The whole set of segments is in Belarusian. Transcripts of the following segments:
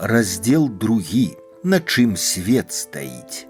Раздзел 2. На чым свет стаіць.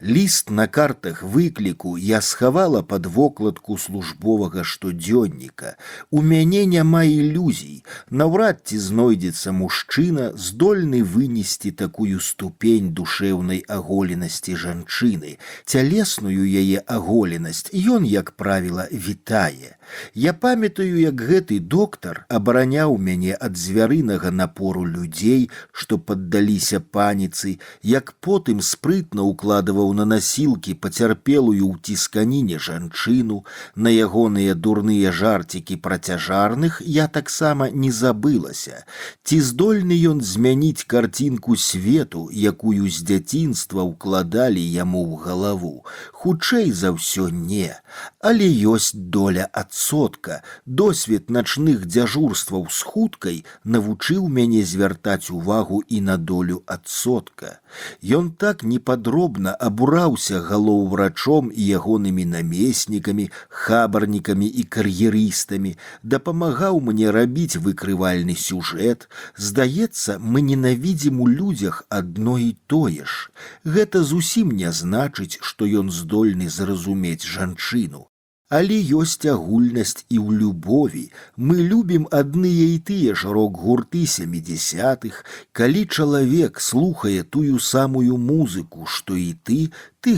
Ліст на картах выкліку я схавала пад вокладку службовага штодзённіка. У мяне няма ілюзій. Наўрад ці знойдзецца мужчына, здольны вынесці такую ступень душэўнай аголенасці жанчыны. Цялесную яе аголенасць ён, як правіла, вітае. Я памятаю, як гэты доктар абараняў мяне ад звярынага напору людзей, што паддаліся паніцы, як потым спрытна укладываў на насілкі пацярпелую ў цісканіне жанчыну. На ягоныя дурныя жарцікі пра цяжарных я таксама не забылася. Ці здольны ён змяніць карцінку свету, якую з дзяцінства ўкладалі яму ў галаву? Хутчэй за ўсё не. Але ёсць доля адсотка. Досвед начных дзяжурстваў з хуткай навучыў мяне звяртаць увагу і на долю адсотка. Ён так непадробна абураўся галоўврачом і ягонымі намеснікамі, хабарнікамі і кар'ерыстамі, дапамагаў мне рабіць выкрывальны сюжэт. Здаецца, мы ненавідзім у людзях адно і тое ж. Гэта зусім не значыць, што ён здольны зразумець жанчыну. Але ёсць агульнасць і ў любові. Мы любім адныя і тыя ж рок-гурты 70-х. Калі чалавек слухае тую самую музыку, што і ты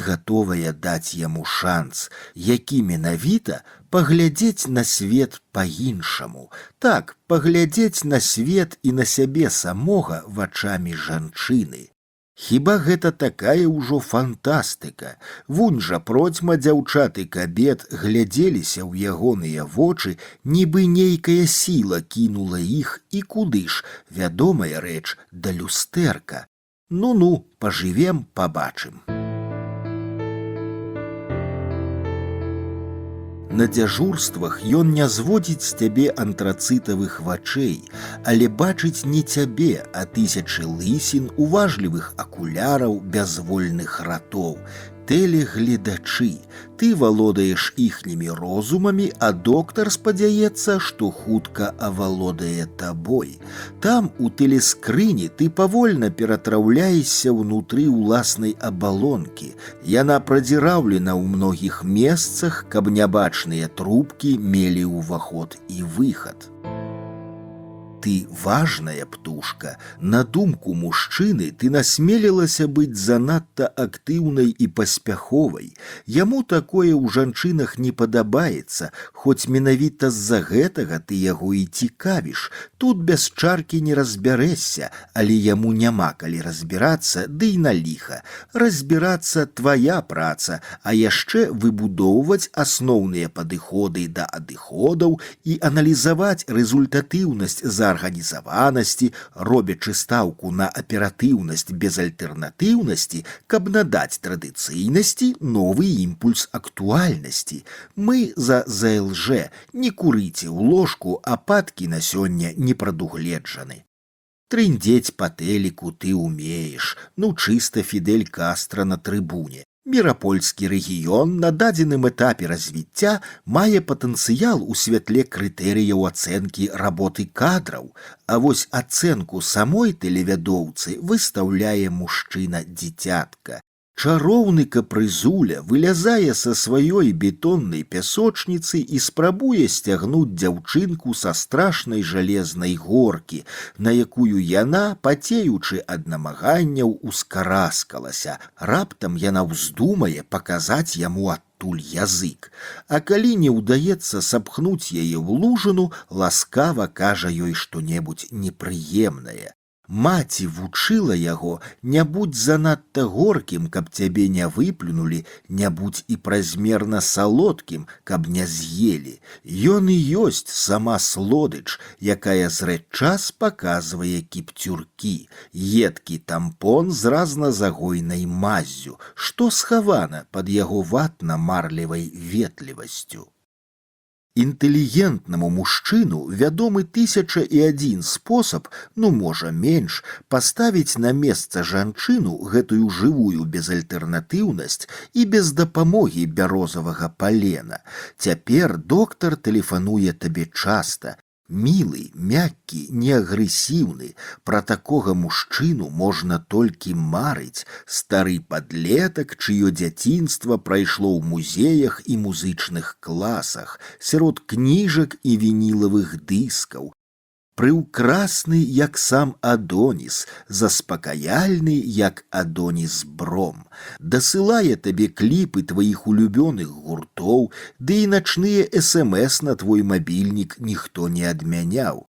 гатовая даць яму шанс, які менавіта паглядзець на свет па-іншаму. Так, паглядзець на свет і на сябе самога вачамі жанчыны. Хіба гэта такая ўжо фантастыка? Вунь жа процьма дзяўчат і кабет глядзеліся ў ягоныя вочы, нібы нейкая сіла кінула іх, і куды ж? Вядомая рэч, да люстэрка. Ну-ну, пажывем, пабачым. На дзяжурствах ён не зводзіць з цябе антрацытавых вачэй, але бачыць не цябе, а тысячы лысін, уважлівых акуляраў, бязвольных ратоў. Тэлегледачы. Ты валодаеш іхнімі розумамі, а доктар спадзяецца, што хутка авалодае табой. Там, у тэлескрыні, ты павольна ператраўляешся ўнутры ўласнай абалонкі. Яна прадзіраўлена ў многіх месцах, каб нябачныя трубкі мелі ўваход і выхад. Ты важная птушка. На думку мужчыны, ты насмелілася быць занадта актыўнай і паспяховай. Яму такое ў жанчынах не падабаецца, хоць менавіта з-за гэтага ты яго і цікавіш. Тут без чаркі не разбярэшся, але яму няма калі разбірацца, ды і на ліха. Разбірацца твая праца, а яшчэ выбудоўваць асноўныя падыходы да адыходаў і аналізаваць рэзультатыўнасць арганізаванасці, робячы стаўку на аператыўнасць без альтэрнатыўнасці, каб надаць традыцыйнасці новы імпульс актуальнасці. Мы за ЗЛЖ. Не курыце ў ложку, ападкі на сёння не прадугледжаны. Трындзець па тэліку ты ўмееш, ну чыста Фідель Кастра на трыбуне. Мірапольскі рэгіён на дадзеным этапе развіцця мае патэнцыял у святле крытэрыяў ацэнкі работы кадраў, а вось ацэнку самой тэлевядоўцы выстаўляе мужчына-дзіцятка. Чароўны капрызуля вылязае са сваёй бетоннай пясочніцы і спрабуе сцягнуць дзяўчынку са страшнай жалезнай горкі, на якую яна, пацеючы ад намаганняў, ускараскалася. Раптам яна ўздумае паказаць яму адтуль язык. А калі не ўдаецца сапхнуць яе ў лужыну, ласкава кажа ёй што-небудзь непрыемнае. Маці вучыла яго: не будзь занадта горкім, каб цябе не выплюнулі, не будзь і празмерна салодкім, каб не з'елі. Ён і ёсць сама слодыч, якая зрэдчас паказвае кіпцюркі, едкі тампон з разназагойнай маззю, што схавана пад яго ватна-марлевай ветлівасцю. Інтэлігентнаму мужчыну вядомы 1001 спосаб, ну можа менш, паставіць на месца жанчыну, гэтую жывую безальтэрнатыўнасць і без дапамогі бярозавага палена. Цяпер доктар тэлефануе табе часта. Мілы, мяккі, неагрэсіўны, пра такога мужчыну можна толькі марыць, стары падлетак, чыё дзяцінства прайшло ў музеях і музычных класах, сярод кніжак і вінілавых дыскаў, прыўкрасны, як сам Адоніс, заспакаяльны, як Адоніс Бром, дасылае табе кліпы тваіх улюбёных гуртоў, ды і начныя СМС на твой мабільнік ніхто не адмяняў.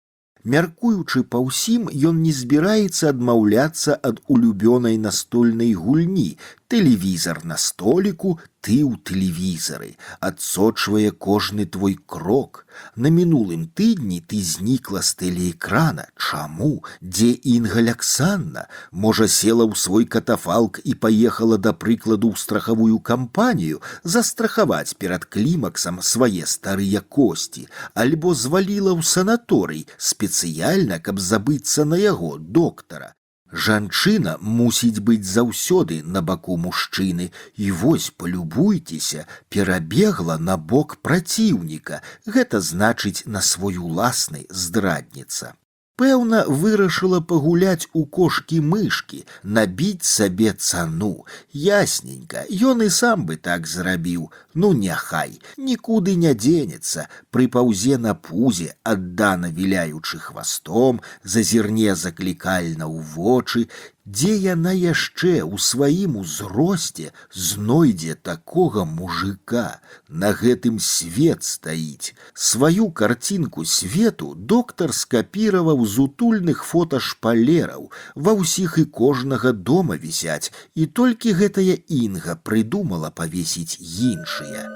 Мяркуючы па ўсім, ён не збіраецца адмаўляцца ад улюбёнай настольнай гульні, тэлевізар на століку, ты ў тэлевізары, адсочвае кожны твой крок. На мінулым тыдні ты знікла з тэлеэкрана. Чаму? Дзе Інга Аляксанна? Можа, села ў свой катафалк і паехала, да прыкладу, ў страхавую кампанію застрахаваць перад клімаксам свае старыя косці, альбо зваліла ў санаторый спецыяльна, каб забыцца на яго, доктара. Жанчына мусіць быць заўсёды на баку мужчыны, і вось, палюбуйцеся, перабегла на бок праціўніка, гэта значыць на свой уласны здрадніца. Пэўна, вырашыла пагуляць у кошкі-мышкі, набіць сабе цану. Ясненька, ён і сам бы так зрабіў. Ну, няхай, нікуды не дзенецца, прыпаўзе на пузе, аддана віляючы хвастом, зазірне заклікальна ў вочы, дзе яна яшчэ ў сваім узросце знойдзе такога мужика, на гэтым свет стаіць. Сваю карцінку свету доктар скапіраваў з утульных фоташпалераў, ва ўсіх і кожнага дома вісяць, і толькі гэтая Інга прыдумала павесіць іншыя.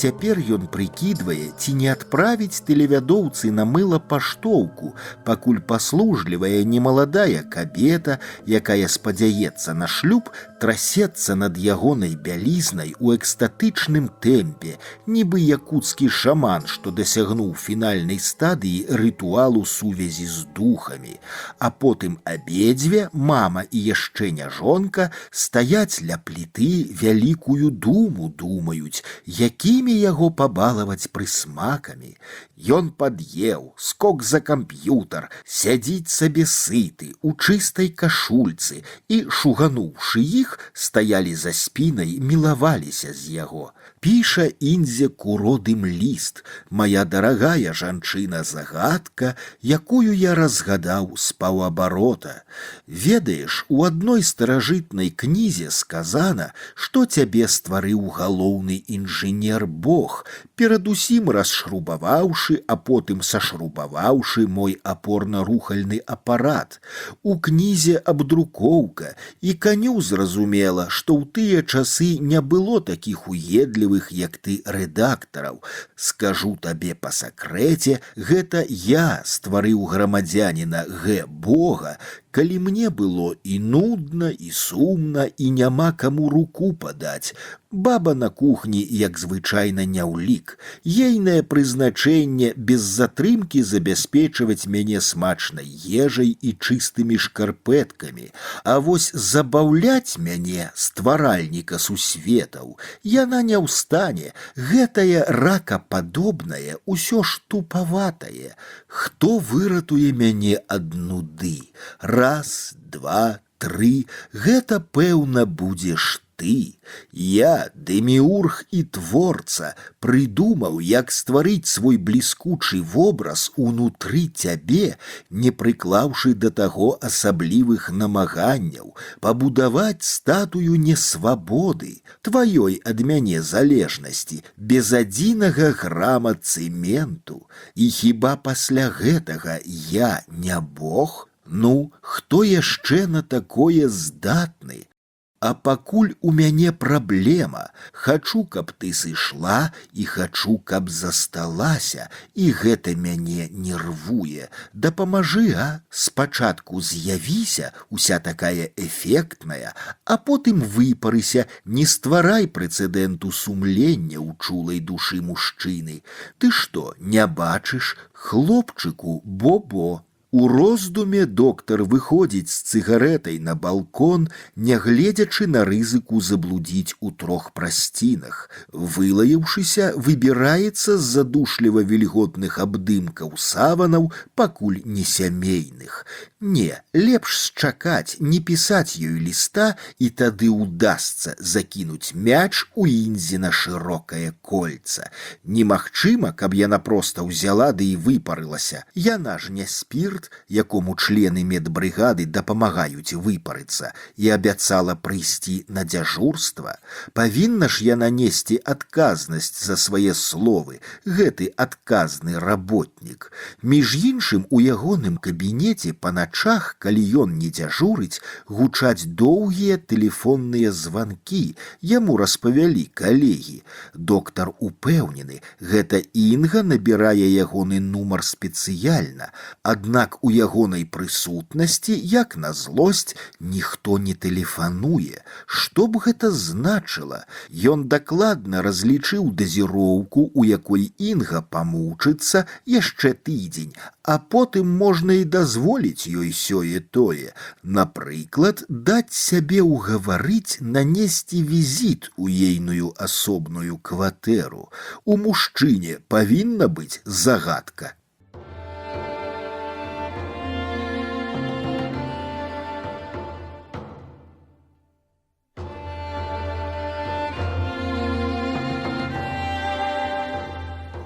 Цяпер ён прыкідвае, ці не адправіць тэлевядоўцы на мыла паштоўку, пакуль паслужлівая немаладая кабета, якая спадзяецца на шлюб, трасецца над ягонай бялізнай у экстатычным тэмпе, нібы якуцкі шаман, што дасягнуў фінальнай стадыі рытуалу сувязі з духамі. А потым абедзве, мама і яшчэ няжонка, стаяць ля пліты, вялікую думу думаюць, якімі яго пабалаваць прысмакамі. Ён пад'еў, скок за камп'ютар, сядзіць сабе сыты, у чыстай кашульцы, і, шугануўшы іх, стаялі за спінай, мілаваліся з яго. Піша Індзе куродым ліст: «Мая дарагая жанчына-загадка, якую я разгадаў з паўабарота. Ведаеш, у адной старажытнай кнізе сказана, што цябе стварыў галоўны інжынер Бог, перадусім расшрубаваўшы, а потым сашрубаваўшы мой апорна-рухальны апарат. У кнізе абдрукоўка, і каню зразумела, што ў тыя часы не было такіх уедлівых, як ты, рэдактараў. Скажу табе па сакрэце, гэта я стварыў грамадзяніна Г. Бога, калі мне было і нудна, і сумна, і няма каму руку падаць. Баба на кухні, як звычайна, не ўлік. Ейнае прызначэнне без затрымкі забяспечваць мяне смачнай ежай і чыстымі шкарпэткамі. А вось забаўляць мяне, стваральніка сусветаў, яна не ўстане. Гэтае ракападобнае, усё ж тупаватае. Хто выратуе мяне ад нуды? Раз, два, тры, гэта, пэўна, будзеш ты. Я, дэміург і творца, прыдумаў, як стварыць свой бліскучы вобраз унутры цябе, не прыклаўшы да таго асаблівых намаганняў, пабудаваць статую несвабоды, тваёй ад мяне залежнасці, без адзінага грама цэменту. І хіба пасля гэтага я не Бог? Ну, хто яшчэ на такое здатны? А пакуль у мяне праблема, хачу, каб ты сышла, і хачу, каб засталася, і гэта мяне нервуе. Дапамажы, а? Спачатку з'явіся, уся такая эфектная, а потым выпарыся, не стварай прэцэдэнту сумлення ў чулай душы мужчыны. Ты што, не бачыш? Хлопчыку, бо-бо. У роздуме доктар выходзіць з цыгарэтай на балкон, нягледзячы на рызыку заблудзіць у 3 прасцінах. Вылаяўшыся, выбіраецца з задушліва вільготных абдымкаў саванаў, пакуль не сямейных. Не, лепш счакаць, не пісаць ёй ліста, і тады ўдасца закінуць мяч у Інзіна шырокае кольца. Немагчыма, каб яна проста ўзяла ды і выпарылася. Яна ж не спірт, якому члены медбрыгады дапамагаюць выпарыцца, і абяцала прыйсці на дзяжурства. Павінна ж яна несці адказнасць за свае словы, гэты адказны работнік. Між іншым, у ягоным кабінеце па начах, калі ён не дзяжурыць, гучаць доўгія тэлефонныя званкі, яму распавялі калегі. Доктар упэўнены, гэта Інга набірае ягоны нумар спецыяльна, аднак у ягонай прысутнасці, як на злосць, ніхто не тэлефануе. Што б гэта значыла? Ён дакладна разлічыў дазіроўку, у якой Інга памучыцца яшчэ тыдзень, а потым можна і дазволіць ёй сёе-тое. Напрыклад, даць сябе ўгаварыць нанесці візіт у ейную асобную кватэру. У мужчыне павінна быць загадка.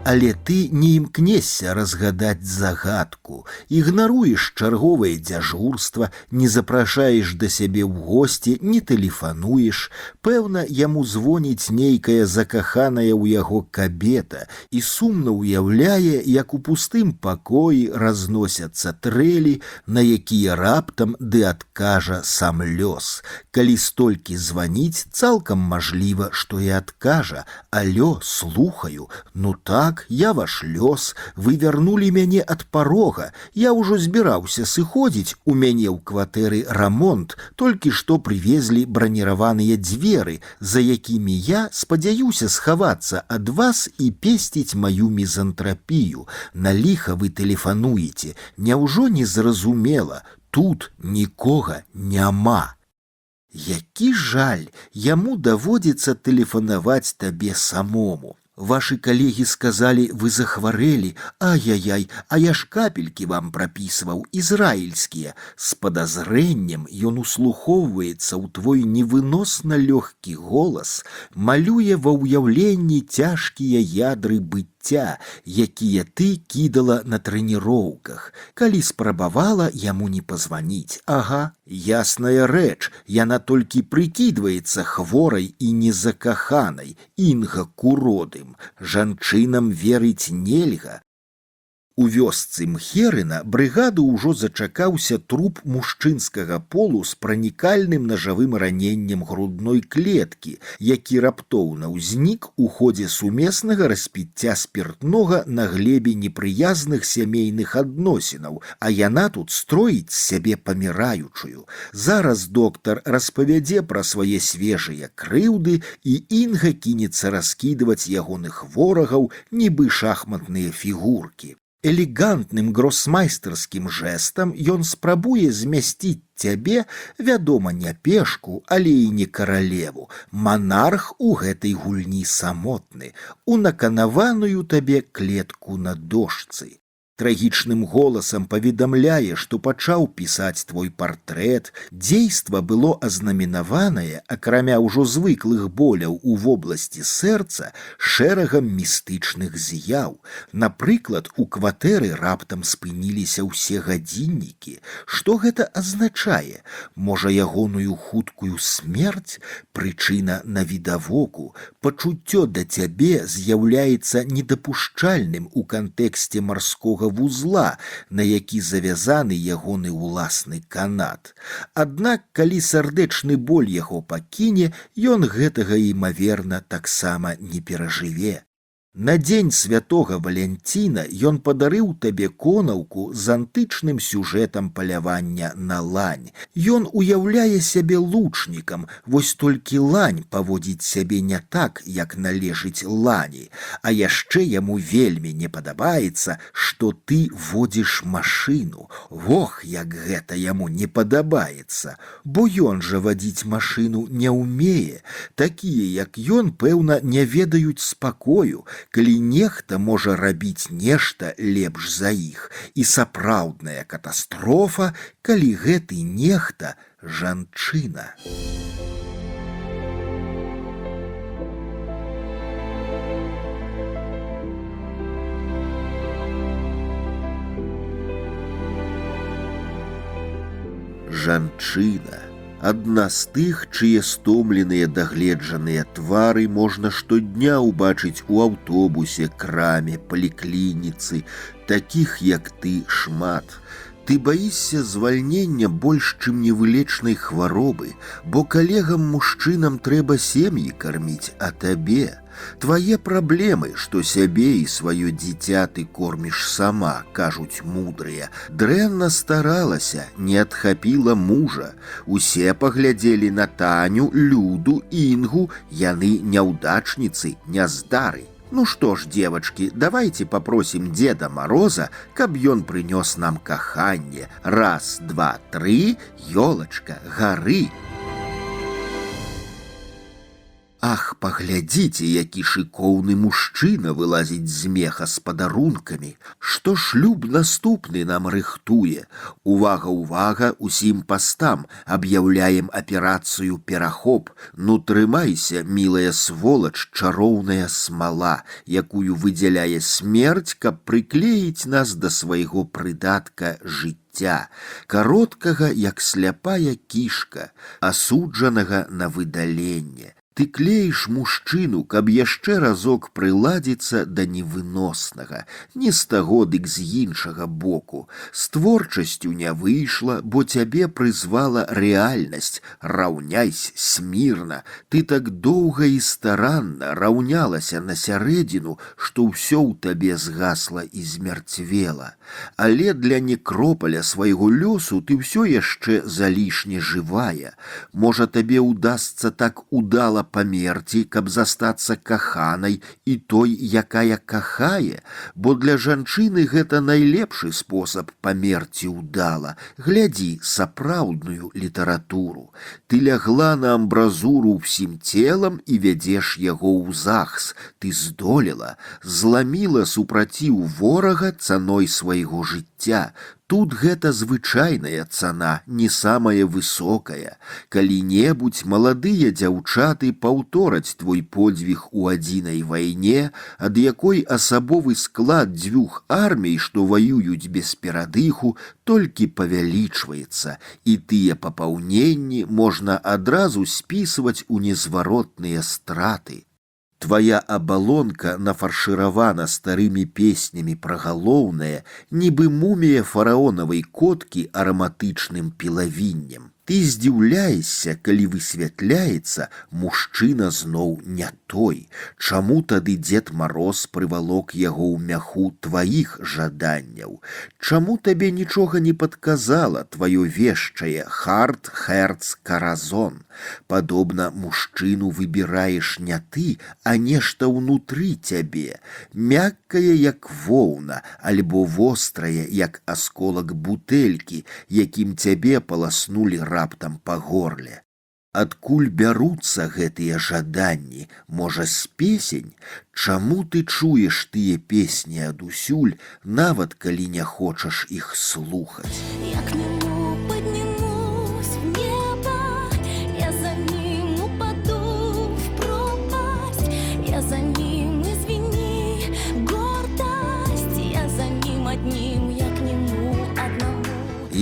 Але ты не імкнешся разгадаць загадку, ігнаруеш чарговае дзяжурства, не запрашаеш да сябе ў госці, не тэлефануеш. Пэўна, яму звоніць нейкая закаханая ў яго кабета і сумна ўяўляе, як у пустым пакоі разносяцца трэлі, на якія раптам ды адкажа сам лёс. Калі столькі званіць, цалкам мажліва, што і адкажа: «Алё, слухаю, ну так, я ваш лёс, вы вярнулі мяне ад парога, я ўжо збіраўся сыходзіць, у мяне ў кватэры рамонт, толькі што прывезлі браніраваныя дзверы, за якімі я спадзяюся схавацца ад вас і песціць маю мізантрапію. На ліха вы тэлефануеце, няўжо не зразумела, тут нікога няма». Які жаль, яму даводзіцца тэлефанаваць табе самому. Ваши калегі сказалі, вы захварэлі, ай-яй-яй, а я ж капелькі вам прапісваў, ізраільскія. З падазрэннем ён услухоўваецца ў твой невыносна лёгкі голас, малюе ва ўяўленні цяжкія ядры быцця, якія ты кідала на трэніроўках. Калі спрабавала яму не пазваніць, ага, ясная рэч, яна толькі прыкідваецца хворай і незакаханай, Інга Куродым. Жанчынам верыць нельга. У вёсцы Мхерына брыгаду ўжо зачакаўся труп мужчынскага полу з пранікальным нажавым раненнем грудной клеткі, які раптоўна ўзнік у ходзе сумеснага распіцця спіртнога на глебе непрыязных сямейных адносінаў, а яна тут строіць з сябе паміраючую. Зараз доктар распавядзе пра свае свежыя крыўды, і Інга кінецца раскідваць ягоных ворагаў, нібы шахматныя фігуркі. Элегантным гросмайстарскім жэстам ён спрабуе змясціць цябе, вядома, не пешку, але і не каралеву. Манарх у гэтай гульні самотны, у наканаваную табе клетку на дошцы. Трагічным голасам паведамляе, што пачаў пісаць твой партрэт. Дзейства было азнаменаванае, акрамя ўжо звыклых боляў у вобласці сэрца, шэрагам містычных з'яў. Напрыклад, у кватэры раптам спыніліся ўсе гадзіннікі. Што гэта азначае? Можа, ягоную хуткую смерць? Прычына навідавоку. Пачуццё да цябе з'яўляецца недапушчальным у кантэксце марскога вузла, на які завязаны ягоны ўласны канат. Аднак, калі сардэчны боль яго пакіне, ён гэтага, імаверна, таксама не перажыве. На дзень святога Валянціна ён падарыў табе конаўку з антычным сюжэтам палявання на лань. Ён уяўляе сябе лучнікам, вось толькі лань паводзіць сябе не так, як належыць лані. А яшчэ яму вельмі не падабаецца, што ты водзіш машыну. Ох, як гэта яму не падабаецца, бо ён жа вадзіць машыну не ўмее. Такія, як ён, пэўна, не ведаюць спакою, калі нехта можа рабіць нешта лепш за іх, і сапраўдная катастрофа, калі гэты нехта жанчына. Жанчына адна з тых, чые стомленыя дагледжаныя твары можна штодня ўбачыць у аўтобусе, краме, паліклініцы. Такіх, як ты, шмат. Ты баішся звальнення больш, чым невылечнай хваробы, бо калегам-мужчынам трэба сем'і карміць, а табе твае праблемы, што сябе і сваё дзіця ты корміш сама, кажуць мудрыя. Дрэнна старалася, не адхапіла мужа. Усе паглядзелі на Таню, Люду, Інгу, яны няўдачніцы, няздары. Ну что ж, девочки, давайте попросим Деда Мороза, каб ён прынёс нам каханне. Раз, два, тры, ёлачка, гары. Ах, паглядзіце, які шыкоўны мужчына вылазіць з меха з падарункамі. Што шлюб наступны нам рыхтуе. Увага, увага, усім пастам, аб'яўляем аперацыю «Перахоп». Ну трымайся, мілая сволач, чароўная смала, якую выдзяляе смерць, каб прыклеіць нас да свайго прыдатка жыцця, кароткага, як сляпая кішка, асуджанага на выдаленне. Ты клеіш мужчыну, каб яшчэ разок прыладзіцца да невыноснага, не з таго, дык з іншага боку. З творчасцю не выйшла, бо цябе прызвала рэальнасць. Раўняйся смірна. Ты так доўга і старанна раўнялася на сярэдзіну, што ўсё ў табе згасла і змярцвела. Але для некропаля свайго лёсу ты ўсё яшчэ залішне жывая. Можа, табе ўдасца так удала памерці, каб застацца каханай і той, якая кахае, бо для жанчыны гэта найлепшы спосаб памерці ўдала. Глядзі сапраўдную літаратуру. Ты лягла на амбразуру ўсім целам і вядзеш яго ў захс. Ты здолела, зламіла супраціў ворага цаной свайго жыцця. Тут гэта звычайная цана, не самая высокая. Калі-небудзь маладыя дзяўчаты паўтораць твой подзвіг у адзінай вайне, ад якой асабовы склад дзвюх армій, што ваююць без перадыху, толькі павялічваецца, і тыя папаўненні можна адразу спісваць у незваротныя страты. Твоя абалонка нафаршыравана старымі песнямі пра галоўнае, нібы мумія фараонавай коткі араматычным пілавіннем. Ты здзіўляешся, калі высвятляецца, мужчына зноў не той. Чаму тады Дзед Мароз прывалок яго ў мяху тваіх жаданняў? Чаму табе нічога не падказала тваё вешчае харт, херц, каразон? Падобна, мужчыну выбіраеш не ты, а нешта ўнутры цябе, мяккае, як воўна, альбо вострае, як асколак бутэлькі, якім цябе паласнулі раптам па горле. Адкуль бяруцца гэтыя жаданні? Можа, з песень? Чаму ты чуеш тыя песні адусюль, нават калі не хочаш іх слухаць?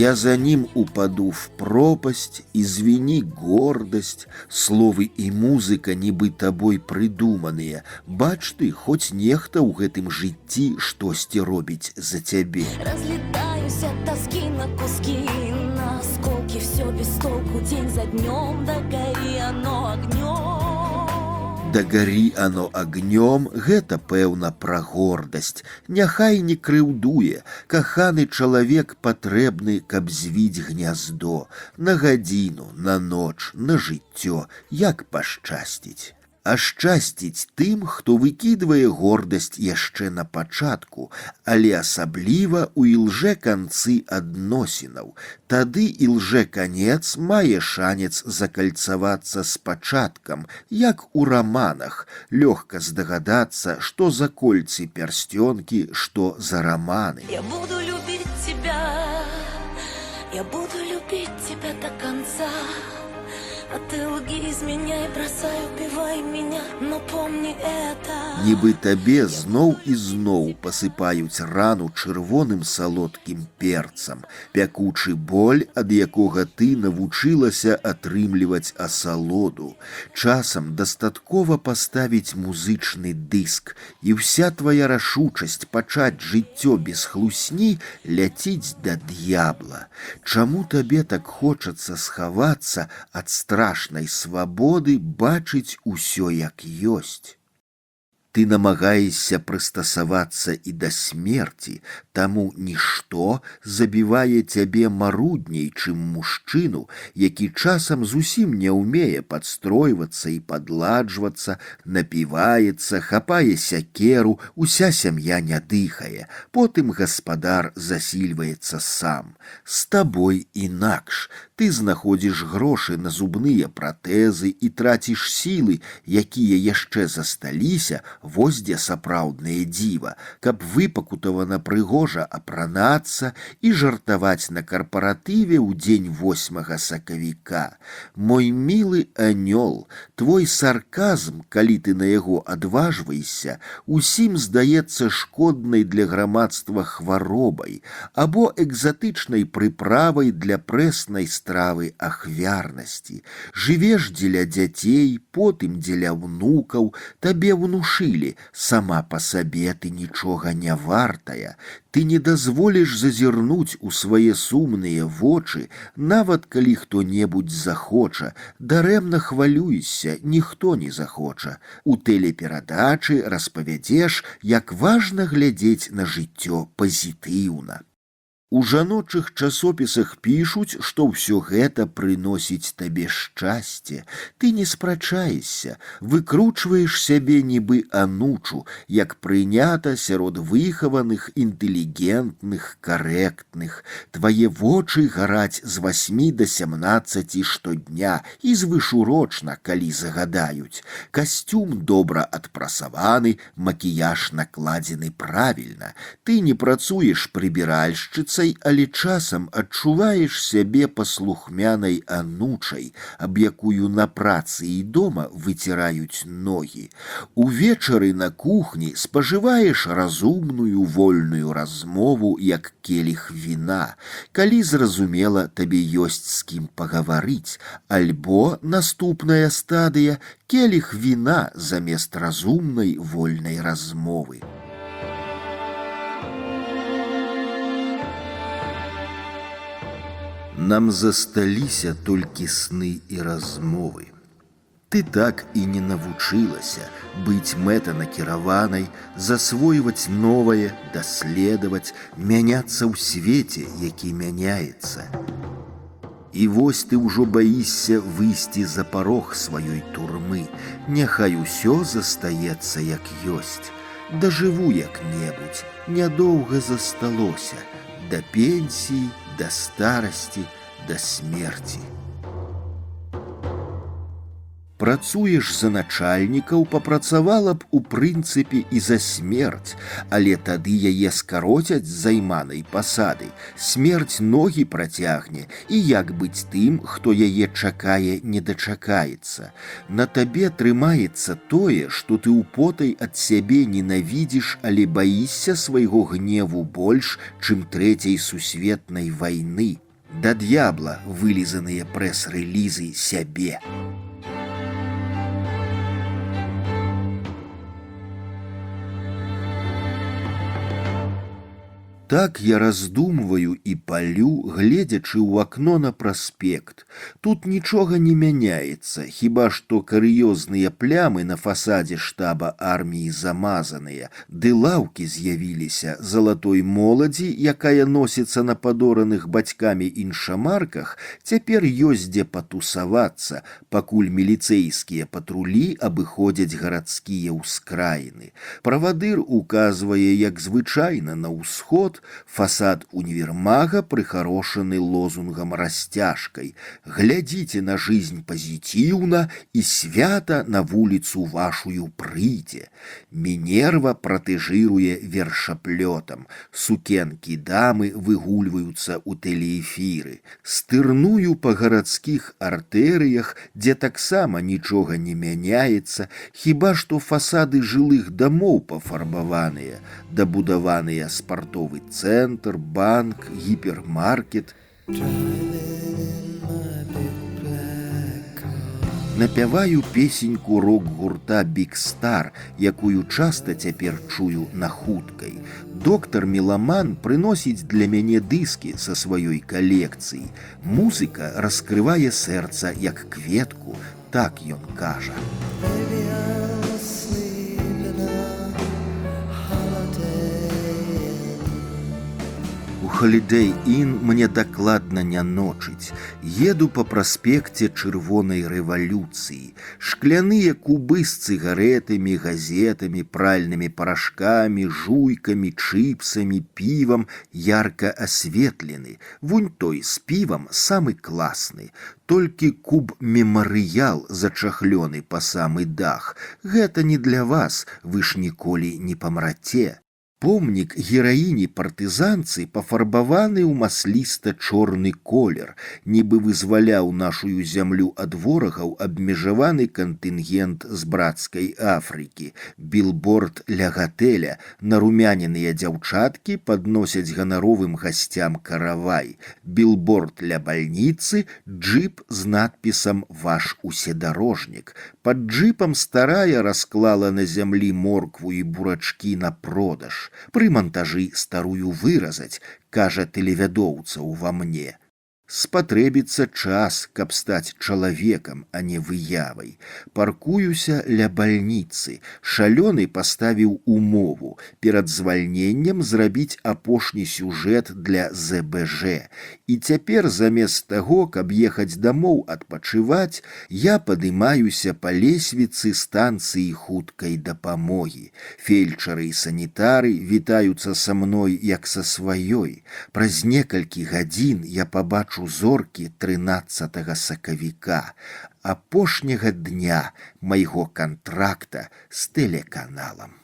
Я за ним упаду в пропасть, извини, гордость, словы и музыка нібы табой прыдуманыя. Бач ты, хоць нехта ў гэтым жыцці штосьці робіць за цябе. Разлетаюсь от тоски на куски, на осколки, все без толку, день за днем, да гори оно огнем. Дагары оно агнём, гэта пэўна пра гордасць. Няхай не крыўдуе, каханы чалавек патрэбны, каб звіць гняздо, на гадзіну, на ноч, на жыццё, як пашчасціць. А шчасціць тым, хто выкідвае гордасць яшчэ на пачатку, але асабліва ў ілжэ-канцы адносінаў. Тады ілжэ-канец мае шанец закальцавацца з пачаткам, як у раманах. Лёгка здагадацца, што за кольцы пярсцёнкі, што за раманы. Я буду любить тебя, я буду любить тебя до конца. А ты лги, изменяй, бросай, убивай меня, но помни это. Нібы табе зноў і зноў пасыпаюць рану чырвоным салодкім перцам, пякучы боль, ад якога ты навучылася атрымліваць асалоду. Часам дастаткова паставіць музычны дыск, і вся твая рашучасць пачаць жыццё без хлусні ляціць да д'ябла. Чаму табе так хочацца схавацца ад страшнай свабоды, бачыць усё як ёсць? Ты намагаешся прыстасавацца і да смерці, таму нішто забівае цябе марудней, чым мужчыну, які часам зусім не ўмее падстройвацца і падладжвацца, напіваецца, хапае сякеру, уся сям'я не дыхае, потым гаспадар засільваецца сам. З табой інакш. Ты знаходзіш грошы на зубныя пратэзы і траціш сілы, якія яшчэ засталіся, вось дзе сапраўднае дзіва, каб выпакутавана прыгожа апранацца і жартаваць на карпаратыве ў дзень 8 сакавіка. Мой мілы анёл, твой сарказм, калі ты на яго адважваешся, усім здаецца шкоднай для грамадства хваробай або экзатычнай прыправай для прэснай стравы ахвярнасці. Жывеш дзеля дзяцей, потым дзеля ўнукаў, табе внушылі, сама па сабе ты нічога не вартая, ты не дазволіш зазірнуць у свае сумныя вочы, нават калі хто-небудзь захоча, дарэмна хвалюешся, ніхто не захоча. У тэлеперадачы распавядзеш, як важна глядзець на жыццё пазітыўна. У жаночых часопісах пішуць, што ўсё гэта прыносіць табе шчасце. Ты не спрачаешся, выкручваеш сябе нібы анучу, як прынята сярод выхаваных, інтэлігентных, карэктных. Твае вочы гараць з 8 до 17 штодня і звышурочна, калі загадаюць. Касцюм добра адпрасаваны, макіяж накладзены правільна. Ты не працуеш прыбіральшчыцай, але часам адчуваеш сябе паслухмянай анучай, аб якую на працы і дома выціраюць ногі. Увечары на кухні спажываеш разумную вольную размову, як келіх віна, калі зразумела, табе ёсць з кім пагаварыць, альбо наступная стадыя — келіх віна замест разумнай вольнай размовы. Нам засталіся толькі сны і размовы. Ты так і не навучылася быць мэтанакіраванай, засвойваць новае, даследаваць, мяняцца ў свеце, які мяняецца. І вось ты ўжо баішся выйсці за парог сваёй турмы. Няхай усё застаецца як ёсць. Дажыву як-небудзь, нядоўга засталося, да пенсіі, да старасці, да смерці. Працуеш за начальнікаў, папрацавала б у прынцыпе і за смерць, але тады яе скароцяць з займанай пасады, смерць ногі працягне, і як быць тым, хто яе чакае, не дачакаецца. На табе трымаецца тое, што ты употай ад сябе ненавідзіш, але баішся свайго гневу больш, чым трэцяй сусветнай вайны. Да д'ябла вылізаныя прэс-рэлізы сябе. Так я раздумваю і палю, гледзячы ў акно на праспект. Тут нічога не мяняецца, хіба што карыёзныя плямы на фасадзе штаба арміі замазаныя, ды лаўкі з'явіліся залатой моладзі, якая носіцца на падораных бацькамі іншамарках, цяпер ёсць дзе патусавацца, пакуль міліцэйскія патрулі абыходзяць гарадскія ўскраіны. Правадыр указвае, як звычайна, на ўсход. Фасад універмага прыхарошаны лозунгам-расцяжкай. Глядзіце на жизнь пазітыўна, і свята на вуліцу вашую прыйдзе. Мінерва пратэжыруе вершаплётам. Сукенкі дамы выгульваюцца ў тэлеэфіры. Стырную па гарадскіх артэрыях, дзе таксама нічога не мяняецца, хіба што фасады жылых дамоў пафарбаваныя, дабудаваныя спартовы центр, банк, гіпермаркет. Напяваю песеньку рок-гурта Big Star, якую часта цяпер чую на хуткай. Доктар Меламан прыносіць для мяне дыскі са сваёй калекцыі. Музыка раскрывае сэрца як кветку, так ён кажа. Holiday Inn мне дакладна не ночыць. Еду па праспекце чырвонай рэвалюцыі. Шкляныя кубы з цыгарэтамі, газетамі, пральнымі парашкамі, жуйкамі, чыпсамі, півам ярка асветлены. Вунь той з півам самы класны. Толькі куб мемарыял зачахлёны па самы дах. Гэта не для вас, вы ж ніколі не памраце. Помнік гераіні-партызанцы пафарбаваны ў масліста-чорны колер, нібы вызваляў нашую зямлю ад ворагаў абмежаваны кантынгент з брацкай Афрыкі. Білборд ля гатэля, нарумяненыя дзяўчаткі падносяць ганаровым гасцям каравай. Білборд ля бальніцы, джып з надпісам «Ваш уседарожнік». Пад джыпам старая расклала на зямлі моркву і бурачкі на продаж. Пры мантажы старую выразаць, кажа тэлевядоўца ўва мне. Спатрэбіцца час, каб стаць чалавекам, а не выявай. Паркуюся ля бальніцы. Шалёны паставіў умову перад звальненнем зрабіць апошні сюжэт для ЗБЖ. І цяпер замест таго, каб ехаць дамоў адпачываць, я падымаюся па лесвіцы станцыі хуткай дапамогі. Фельчары і санітары вітаюцца са мной як са сваёй. Праз некалькі гадзін я пабачу зоркі 13 сакавіка, апошняга дня майго кантракта з тэлеканалам.